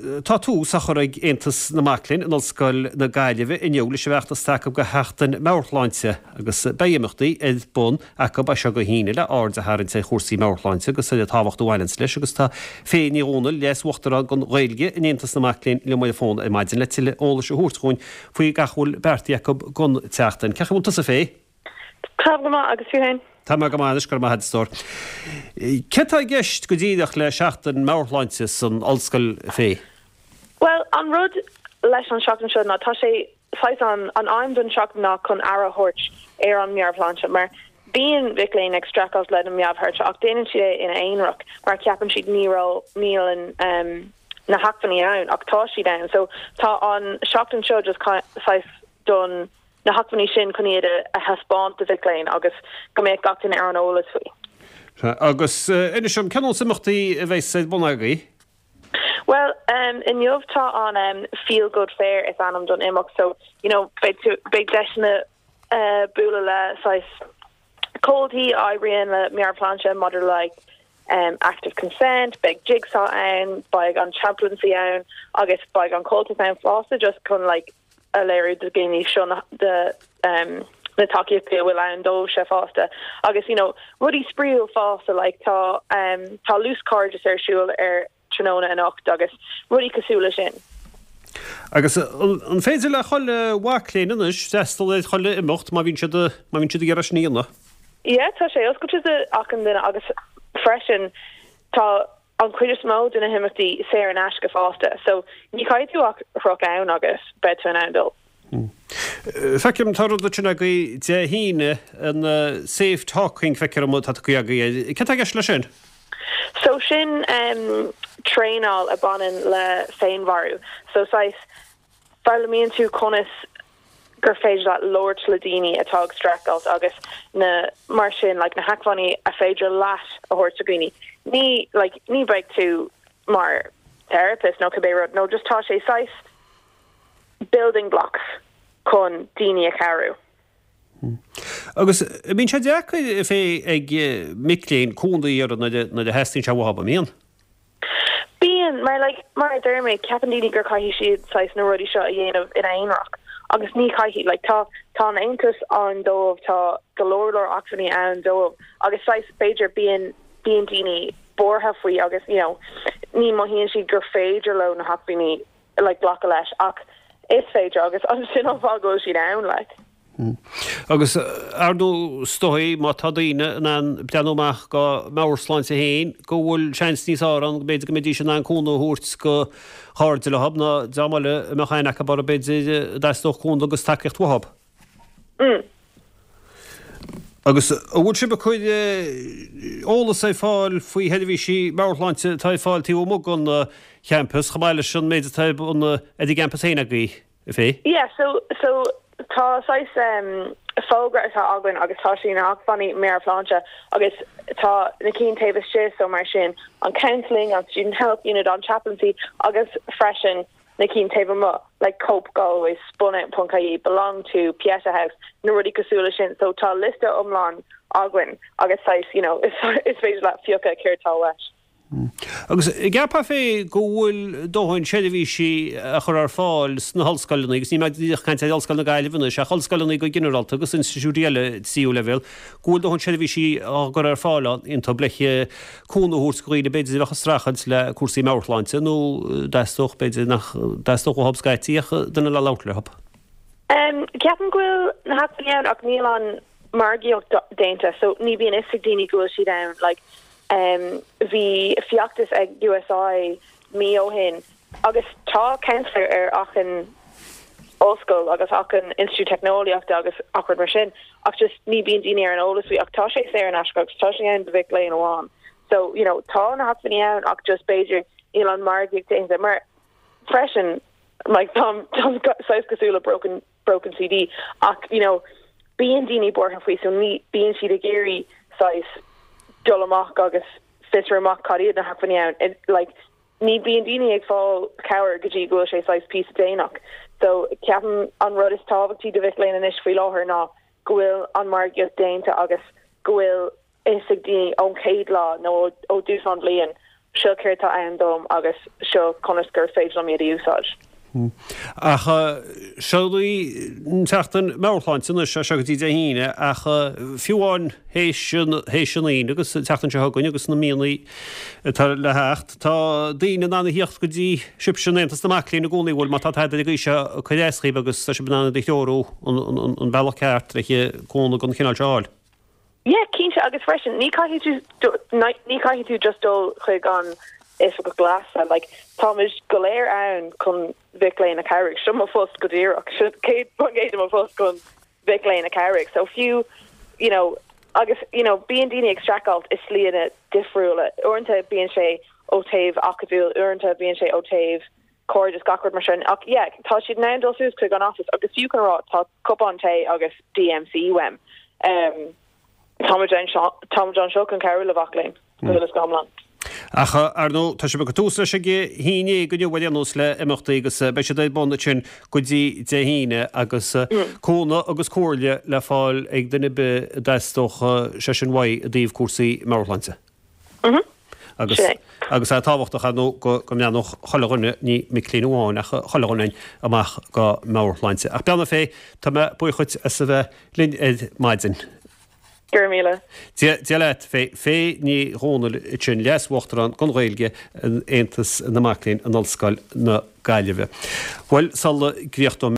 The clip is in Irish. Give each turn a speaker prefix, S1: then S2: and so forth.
S1: Tá tús á chur ag Aontas na Mac Léinn in Ollscoil na Gaillimhe inniu leis an bhfeachtas atá acu do Sheachtain Meabhairshláinte agus beidh imeachtaí ar bun acu as seo go hAoine le aird a tharraingt ar chúrsaí meabhairshláinte agus ar an tábhacht a bhaineanns leis agus tá Faye Ní Dhomhnaill, Leas-Uachtarán don Ghaeilge in Aontas na Mac Léinn liom ar an bhfón ar maidin le tuilleadh eolais a thabhairt dhúinn faoi gach a bhfuil beartaithe acu don tseachtain. Cén chaoi a bhfuil tusa, Faye?
S2: Táim go maith, agus tú féin?
S1: Tá mé go maith anois, go raibh maith agat, a stór. Céard tá i gceist go díreach le Seachtain Meabhairshláinte san Ollscoil, Faye?
S2: Bhuel, an rud leis an seachtain seo ná tá sé saghas an an aidhm don seachtain ná chun aire a thabhairt ar an meabhairshláinte mar bíonn mhic léinn ag streachailt lena meabhairshláinte ach déanann siad é ina aonarach mar ceapann siad ní raibh níl an um, na hacmhainní ann ach tá siad ann so tá an seachtain seo just saghas don na hacmhainní sin chun iad a thaispeáint do mhic léinn agus go mbeadh gach duine ar an eolas faoi.
S1: Agus inis dom, cén nós imeachtaí a bheas ar bun agaibh?
S2: Bhuel, inniu tá an Feel Good Fair is ainm don imeacht so, you know, beidh tú, beidh deiseanna bualadh le saghas comhaltaí a oibríonn le meabhairshláinte maidir le like active consent, beidh jigsaw ann, beidh an chaplaincy ann agus beidh an Comhaltas ann fosta just chun like a léiriú do dhaoine seo na na tacaíochtaí a bhfuil ann dóibhse fosta agus you know rudaí spraíúil fosta like tá tá luaschairdeas ar siúl ar tráthnóna anocht agus rudaí cosúil le sin.
S1: Agus an féidir le chuile mhac léinn anois freastal ar chuile imeacht má bhíonn siad má bhíonn siad ag iarraidh sin a dhéanamh?
S2: Yeah tá sé oscailte do achan duine agus freisin tá an chuid is mó de na himeachtaí saor in aisce fosta, so ní chaithfidh tú ach rith ann agus beidh tú in ann dul.
S1: Feicim, tá rud ansin agaibh Dé hAoine, an Safe Talking, feictear dom atá tugtha agaibh air. Céard tá i gceist leis sin?
S2: So sin traenáil a bhaineann le féinmharú. So saghas Foghlaimíonn tú conas gur féidir leat labhairt le daoine atá ag streachailt agus na mar sin like na hacmhainní a féidir leat a thabhairt do dhaoine. Ní like ní bheidh tú mar therapist nó cibé rud nó just tá sé saghas building blocks chun daoine a chabhrú.
S1: Agus bíonn sé deacair Faye ag mic léinn cúnamh a iarraidh nuair a theastaíonn sé uathu, an mbíonn?
S2: Bíonn, mar like, mar a deir mé, ceapann daoine gur caithfidh siad saghas na rudaí seo a dhéanamh ina aonarach agus ní chaithfidh, like tá, tá an Aontas ann dóibh, tá go leor leor acmhainní ann dóibh agus saghas b'fhéidir bíonn, bíonn daoine buartha faoi agus you know ní mothaíonn siad gur féidir leo na hacmhainní like glacadh leis ach is féidir agus sin an fáth go bhfuil siad ann like.
S1: Agus, ar ndóigh, is dóigh, má tá daoine in ann breathnú amach dá meabhairshláinte féin, go bhfuil seans níos fearr ann go mb'fhéidir go mbeidís in ann cúnamh a thabhairt do chairde leo ná dream eile a mbeadh aithne acu orthu b'fhéidir a dteastódh cúnamh agus tacaíocht uathu. Agus an bhfuil sibh ag cur eolas ar fáil faoi sheirbhísí meabhairshláinte atá ar fáil taobh amuigh den champas, chomh maith leis an méid atá ar bun ar an gcampas féin agaibh? Faye?
S2: Yeah, so, so tá saghas em fógra atá againn agus tá sé na hacmhainní meabhairshláinte agus tá na cinn taobh istigh so mar sin an counselling, an student health unit, an chaplaincy agus freisin na cinn taobh amuigh like Cope Galway, spunout.ie, Belong To, Pieta House, na rudaí cosúil le sin. So tá liosta iomlán againn agus saghas, you know, is is féidir leat fiuchadh céard tá uait.
S1: Agus an gceapfá Faye go bhfuil dóthain seirbhísí á chur ar fáil sna hollscoileanna, agus níl mé díreach ag caint ar Ollscoil na Gaillimhe anois, ach ollscoileanna go ginearálta agus institiúidí eile tríú leibhéal, go bhfuil dóthain seirbhísí á gcur ar fáil iontu le cúnamh a thabhairt do dhaoine b'fhéidir a bheadh ag streachailt le cúrsaí meabhairshláinte nó dteastódh, b'fhéidir nach dteastódh uathu scaití ach duine le labhairt leo.
S2: Ceapaim go bhfuil na hacmhainní ann ach níl an margaíocht déanta so ní bhíonn fhios ag daoine go bhfuil siad ann like Bhí feachtas ag USI mí ó shin agus tá counsellor ar achan ollscoil agus achan institiúid teicneolaíochta agus ach rud mar sin ach just ní bíonn daoine ar an eolas faoi ach tá sé saor in aisce agus tá sé ann do mhic léinn amháin. So, you know, tá na hacmhainní ann ach just b'fhéidir níl an margaíocht déanta mar freisin like táim saghas cosúil le broken broken CD ach you know bíonn daoine buartha faoi so ní bíonn siad ag iarraidh saghas dul amach agus fiosrú amach cad iad na hacmhainní ann like ní bíonn daoine ag fáil cabhair go dtí go bhfuil sé saghas píosa déanach so ceapaim an rud is tábhachtaí do mhic léinn anois faoi láthair ná go bhfuil an margaíocht déanta agus go bhfuil fhios ag daoine ón chéad lá nó ó dtús an bhliain. seo céard tá ann dom agus seo conas gur féidir liom iad a úsáid.
S1: Ach seo í an tseachtain meabhairshláinte anois, as seo go dtí Dé hAoine, ach fiú amháin théis an Aoine agus an tseachtain seo chugainn agus na míonna atá le theacht, tá daoine in ann a thíocht go dtí sibhse in Aontas na Mac Léinn i gcónaí, bhfuil, má tá tada ar an gcaoi seo ag cur as dhaoibh agus tá sibh in ann iad a threorú an bealach ceart le cúnamh den chineál seo a fháil.
S2: Yeah, cinnte, agus freisin, ní caithfidh tú, ní caithfidh tú just dul chuig an oifigeach leasa, like, táimid go léir ann chun mhic léinn a chabhrú, seo mo phost go díreach, seo 100% de mo phost chun mhic léinn a chabhrú, so fiú, you know, agus, you know, bíonn daoine ag streachailt i slíanna difriúla, uaireanta bíonn sé ó taobh acadúil, uaireanta bíonn sé ó taobh cairdeas, gach rud mar sin. Ach yeah, tá siad in ann dul suas chuig an office agus fiú chun a rá tá cupán tae agus DMC uaim. Um, táimid anseo, táimid anseo chun cabhrú le mhac léinn, go huile is go hiomlán.
S1: Ach ar ndóigh, tá sibh ag cur tús leis ag a haon déag inniu ar aon nós le imeachtaí agus beidh siad ar bun ansin go dtí Dé hAoine agus cúnamh agus comhairle le fáil ag duine ar bith a dteastódh sé sin uaidh i dtaobh cúrsaí meabhairshláinte. Agus agus é tábhachtach, ar ndóigh, go go mbreathnódh chuile dhuine, ní mic léinn amháin, ach chuile dhuine amach dá meabhairshláinte. Ach bean Féith, tá mé buíoch dhuit as a bheith linn ar maidin.
S2: Go raibh míle.
S1: Dia Dia leat, Féith. Féith Ní Dhomhnaill ansin, Leas-Uachtarán don Ghaeilge in Aontas na Mac Léinn in Ollscoil na Gaillimhe. Bhuel, sula gcríochnóidh mé.